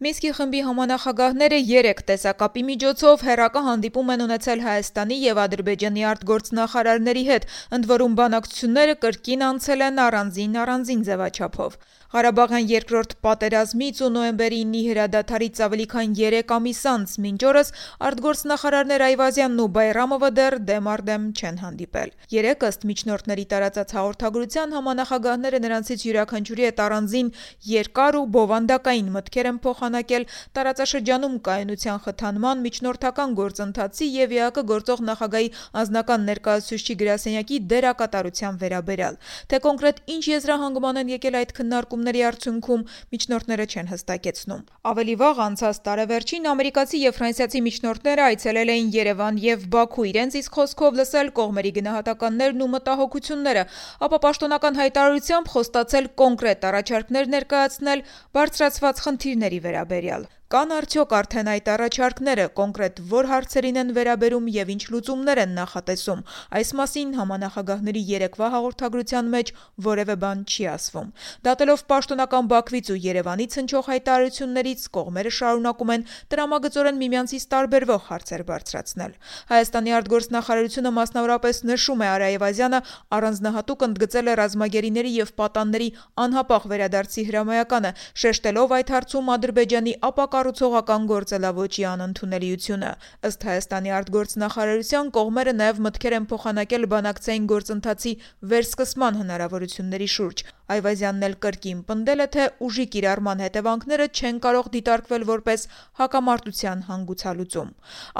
Մինսկի խմբի համանախագահները 3 տեսակապի միջոցով հեռակա հանդիպում են ունեցել Հայաստանի եւ Ադրբեջանի արտգործնախարարների հետ, ընդ որում բանակցությունները կրկին անցել են առանձին ձևաչափով։ Ղարաբաղյան երկրորդ պատերազմից ու նոյեմբերի 9-ի հրադադարից ավելի քան 3 ամիս անց մինչ օրս արտգործնախարարներ Այվազյանն ու Բայրամովը դեռ դեմ առ դեմ չեն հանդիպել։ 3 ըստ միջնորդների տարածած հաղորդագրության համանախագահները նրանցից յուրաքանչյուրի հետ առանձին երկար ու բովանդակային մտքեր են փոխանակել տարածաշրջանում կայունության խթանման, միջնորդական գործընթացի եւ ԵԱԿ գործող նախագահի անձնական ներկայացուցչի գրասենյակի դերակատարության վերաբերյալ։ Թե կոնկրետ ինչ եզրահանգման են եկել այդ քննարկումների արդյունքում, միջնորդները չեն հստակեցնում։ Ավելի վաղ անցած տարեվերջին ամերիկացի եւ ֆրանսիացի միջնորդները այցելել էին Երևան եւ Բաքու իրենց իսկ խոսքով լսել կողմերի գնահատականներն ու մտահոգությունները, ապա պաշտոնական հայտարարությամբ խոստացել կոնկրետ առաջարկներ ներկայացնել բարձրացված խնդիրների վերաբերյալ։ Կան արդյոք արդեն այդ առաջարկները, կոնկրետ որ հարցերին են վերաբերում եւ ինչ լուծումներ են նախատեսում։ Այս մասին համանախագահների երեկվա հաղորդագրության մեջ որևէ բան չի ասվում։ Դատելով պաշտոնական Բաքվից ու Երևանից հնչող հայտարարություններից, կողմերը շարունակում են տրամագծորեն միմյանցից տարբերվող հարցեր բարձրացնել։ Հայաստանի արտգործնախարարությունը մասնավորապես նշում է Արա Այվազյանը առանձնահատուկ ընդգծել է ռազմագերիների եւ պատանների անհապաղ վերադարձի հրամայականը, շեշտելով այդ հարցում Ադրբեջանի ապակառուցողական գործելավոճի անընդունելիությունը։ Ըստ Հայաստանի արտգործնախարարության կողմերը նաև մտքեր են փոխանակել բանակցային գործընթացի վերսկսման հնարավորությունների շուրջ։ Այվազյանն էլ կրկին պնդել է, թե ուժի կիրառման հետևանքները չեն կարող դիտարկվել որպես հակամարտության հանգուցալուծում։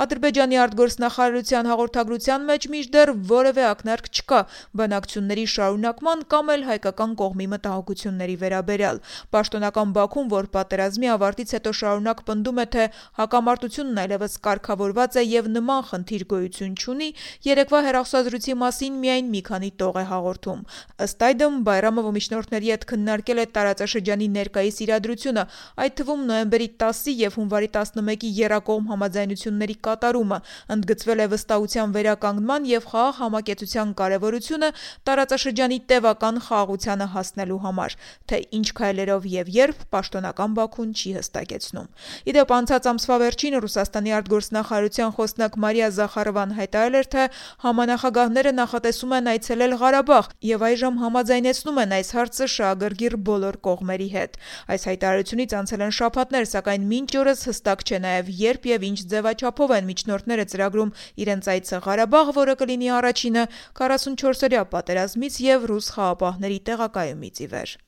Ադրբեջանի արտգործնախարարության հաղորդագրության մեջ մինչդեռ որևէ ակնարկ չկա բանակցությունների շարունակման կամ էլ հայկական կողմի մտահոգությունների վերաբերյալ։ Պաշտոնական Բաքուն, որ պատերազմի ավարտից հետո շարունակ պնդում է, թե հակամարտությունն այլևս կարգավորված է եւ նման խնդիր գոյություն չունի, երեկվա հեռախոսազրույցի մասին միայն մի քանի տող է հաղորդում։ Ըստ այդմ Բայրամովը միջնորդների հետ քննարկել է տարածաշրջանի ներկայիս իրադրությունը, այդ թվում նոյեմբերի 10-ի եւ հունվարի 11-ի եռակողմ համաձայնությունների կատարումը, ընդգծվել է վստահության վերականգնման եւ խաղաղ համակեցության կարեւորությունը տարածաշրջանի տեւական խաղաղությանը հասնելու համար, թե ինչ քայլերով եւ երբ պաշտոնական Բաքուն չի հստակեցնում։ Իդեպ անցած ամսվա վերջին Ռուսաստանի արտգործնախարարության խոսնակ Մարիա Զախարովան հայտարարել էր, թե համանախագահները նախատեսում են այցելել Ղարաբաղ եւ այժմ համաձայնեցնում են այս հարցը շահագրգիռ բոլոր կողմերի հետ։ Այս հայտարարությունից անցել են շաբաթներ, սակայն մինչ օրս հստակ չէ նաեւ երբ եւ ինչ ձևաչափով են միջնորդները ծրագրում իրենց այցը Ղարաբաղ, որը կլինի առաջինը 44-օրյա պատերազմից եւ ռուս խաղապահների տեղակայումից ի վեր։